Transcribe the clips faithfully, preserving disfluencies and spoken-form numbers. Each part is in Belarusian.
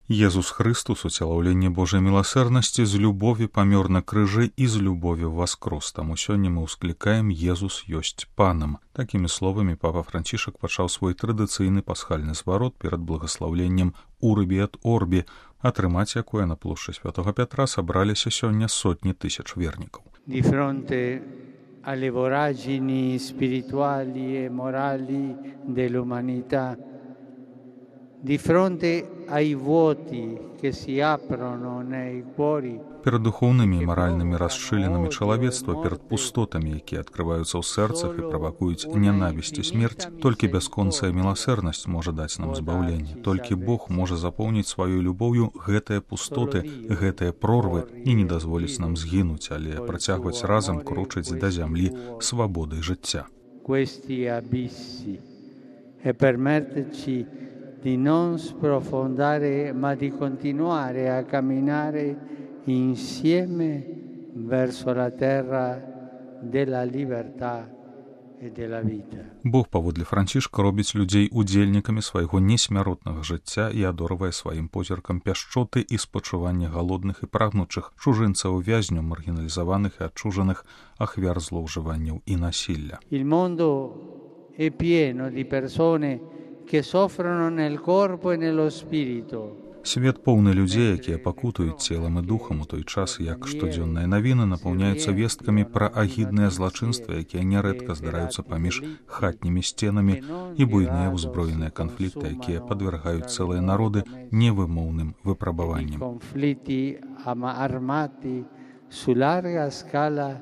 Езус Христус, уцелаўленне Божай міласэрнасці, з любові памёр на крыжы і з любові воскрос. Таму сёння мы ўсклікаем «Езус ёсць панам». Такімі словамі папа Францішак пачаў свой традыцыйны пасхальны зварот перад благаслаўленнем «Урбі ет орбі», атрымаць якое на плошчы Святога Пятра сабраліся сёння сотні тысяч вернікаў. Di fronte alle voragini spirituali e morali dell'umanità, di fronte ai vuoti che si aprono nei cuori. Перад духоўнымі і маральнымі расшчылінамі чалавецтва, перад пустотамі, якія адкрываюцца ў сэрцах і правакуюць нянавісць і смерць, толькі бясконцая міласэрнасць можа даць нам збаўленне. Толькі Бог можа запоўніць сваёй любоўю гэтыя пустоты, гэтыя прорвы і не дазволіць нам згінуць, але працягваць разам крочыць да зямлі свабоды жыцця. Questi abissi e permetterci di non sprofondare, ma di continuare a camminare insieme verso la terra della libertà e della vita. Бог паводле Францішка робіць людзей удзельнікамі свайго несмяротнага жыцця і адорвае сваім позіркам пяшчоты і спачування галодных і прагнучых, чужынцаў, вязню, маргіналізаваных і адчужаных, ахвяр злоўжыванняў і насілля. Il mondo è pieno di persone che soffrono nel corpo e nello spirito. Свет поўны людзей, якія пакутуюць целам і духам у той час, як штодзённыя навіны напаўняюцца весткамі пра агідныя злачынствы, якія нярэдка здараюцца паміж хатнімі сценамі, і буйныя ўзброеныя канфлікты, якія падвяргаюць цэлыя народы невымоўным выпрабаванням. Конфликти armati su larga scala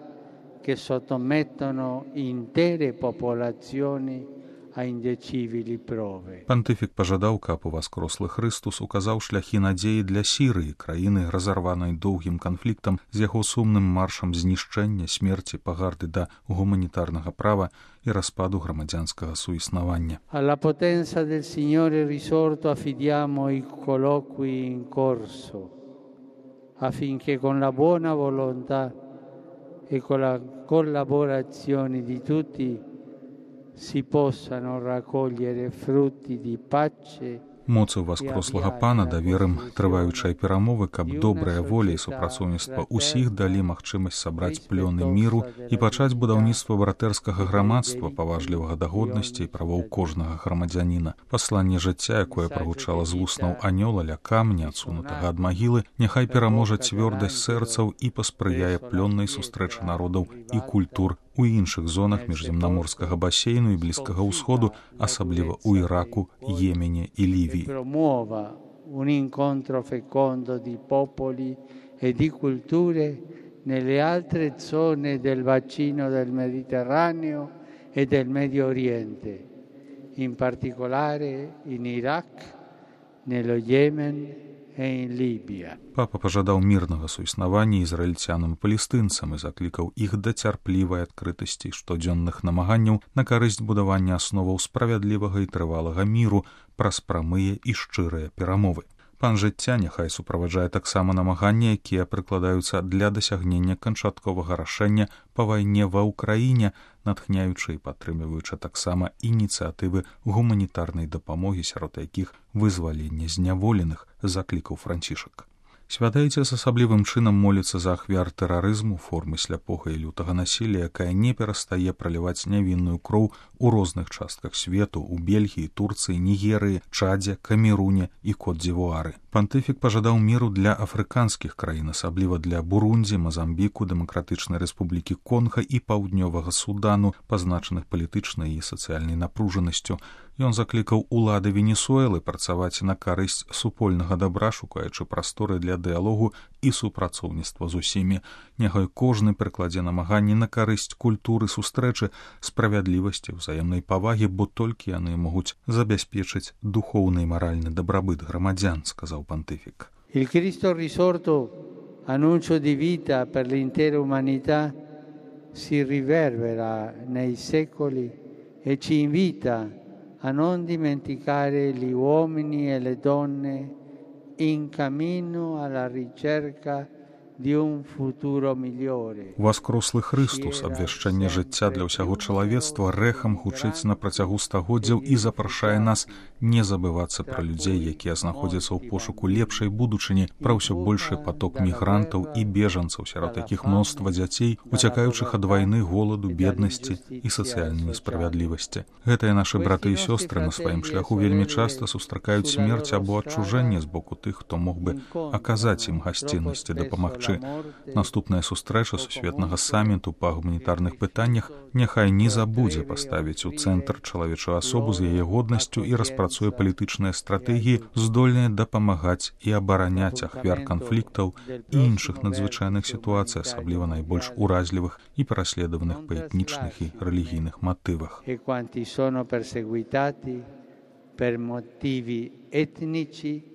che sottomettono intere popolazioni a indecibili prove. Пантыфік пажадаў, каб уваскрослы Христус указаў шляхі надзеі для Сірыі, краіны, разарванай доўгім канфліктам з яго сумным маршам знішчэння, смерці, пагарды да гуманітарнага права і распаду грамадзянскага суіснавання. Alla potenza del Signore risorto affidiamo i colloqui in corso, affinché con la buona volontà e con la collaborazione di tutti si possano raccogliere frutti di pace. Моцу воскрослага пана даверым трываючай перамовы, каб добрая воля і супрацоўніцтва ўсіх далі магчымасць сабраць плёны міру і пачаць будаўніцтва братэрскага грамадства, паважлівага да годнасці і правоў кожнага грамадзяніна. Пасланне жыцця, якое прагучала з вуснаў анёла ля камня, адсунутага ад магілы, няхай пераможа цвёрдасць сэрцаў і паспрыяе плённай сустрэчы народаў і культур у іншых зонах міжземнаморскага басейну і Блізкага ўсходу, асабліва ў Іраку, Йемене і Лівіі. Promuova un incontro fecondo di popoli e di culture nelle altre zone del bacino del Mediterraneo e del Medio Oriente, in particolare in Iraq, nello Yemen e in Libia. Папа пажадаў мірнага суіснавання ізраільцянам і палестынцам і заклікаў іх да цярплівай адкрытасці штодзённых намаганняў на карысць будавання асноваў справядлівага і трывалага міру праз прамыя і шчырыя перамовы. Пан жыцця няхай суправаджае таксама намаганні, якія прыкладаюцца для дасягнення канчатковага рашэння па вайне ва ўкраіне, натхняючы і падтрымліваючы таксама ініцыятывы гуманітарнай дапамогі, сярод якіх вызвалення зняволеных, заклікаў Францішак. Святайця з асаблівым чынам моліцца за ахвяр тэрарызму, формы сляпога і лютага насілля, якая не перастае праліваць нявінную кроў у розных частках свету, у Бельгіі, Турцыі, Нігерыі, Чадзе, Камеруне і Кот-дзівуары. Пантыфік пажадаў міру для афрыканскіх краін, асабліва для Бурундзі, Мазамбіку, Дэмакратычнай Рэспублікі Конга і Паўднёвага Судану, пазначаных палітычнай і сацыяльнай напружанасцю. Ён заклікаў улады Венесуэлы працаваць на карысць супольнага дабра, шукаючы прасторы для дыялогу і супрацоўніцтва з усімі. Няхай кожны прыкладзе намаганні на карысць культуры сустрэчы, справядлівасці, взаемнай павагі, бо толькі яны могуць забяспечыць духоўны і маральны дабрабыт грамадзян, сказаў пантыфік. Il Cristo risorto, annuncio di vita per l'intera umanità, si riverbera nei secoli e ci invita a non dimenticare gli uomini e le donne in cammino alla ricerca di un futuro migliore. Воскрослы Христус, абвяшчанне жыцця для ўсяго чалавецтва, рэхам гучыць на працягу стагоддзяў і запрашае нас не забывацца пра людзей, якія знаходзяцца ў пошуку лепшай будучыні, пра ўсё большы паток мігрантаў і бежанцаў, сярод якіх мноства дзяцей, уцякаючых ад вайны, голаду, беднасці і сацыяльнай несправядлівасці. Гэтыя нашы браты і сёстры на сваім шляху вельмі часта сустракаюць смерць або адчужэнне з боку тых, хто мог бы аказаць ім гасціннасць і дапамагчы. Наступная сустрэча сусветнага саміту па гуманітарных пытаннях няхай не забудзе паставіць у цэнтр чалавечую асобу з яе годнасцю і распрацуе палітычныя стратэгіі, здольныя дапамагаць і абараняць ахвяр канфліктаў і іншых надзвычайных сітуацый, асабліва найбольш уразлівых і пераследаваных па этнічных і рэлігійных матывах. Per motivi etnici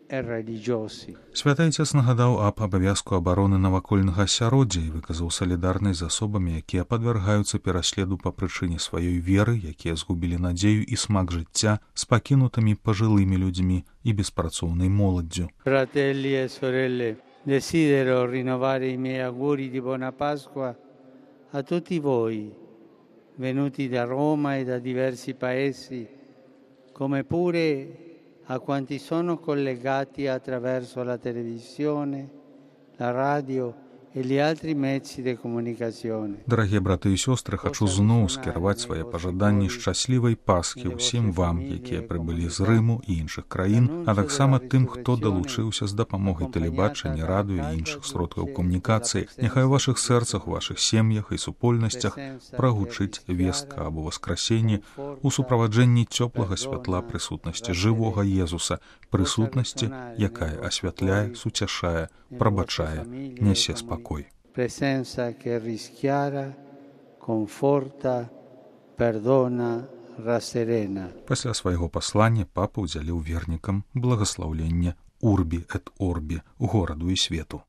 e religiosi. Святы Айцец нагадаў аб абавязку абароны навакольнага асяроддзя і выказаў салідарнасць з асобамі, якія падвяргаюцца пераследу па прычыне сваёй веры, якія згубілі надзею і смак жыцця, з пакінутымі пажылымі людзьмі і беспрацоўнай моладдзю. Fratelli e sorelle, desidero rinnovare i miei auguri di buona Pasqua a tutti voi, venuti da Roma e da diversi paesi, come pure a quanti sono collegati attraverso la televisione, la radio e gli altri mezzi di comunicazione. Дарагія браты і сёстры, хачу зноў скіраваць свае пажаданні шчаслівай Пасхі ўсім вам, якія прыбылі з Рыму і іншых краін, а таксама тым, хто далучыўся з дапамогай тэлебачання, радыё і іншых сродкаў камунікацыі. Няхай у вашых сэрцах, у вашых сем'ях і супольнасцях прагучыць вестка або васкрасенне у суправаджэнні цёплага святла прысутнасці жывога Езуса, прысутнасці, якая асвятляе, суцяшае, прабачае, нясе спакой. Presenza che rischiara, conforta, perdona, rasserena. Пасля свайго паслання папа ўдзяліў вернікам благаслаўленне Урбі эт Орбі, гораду і свету.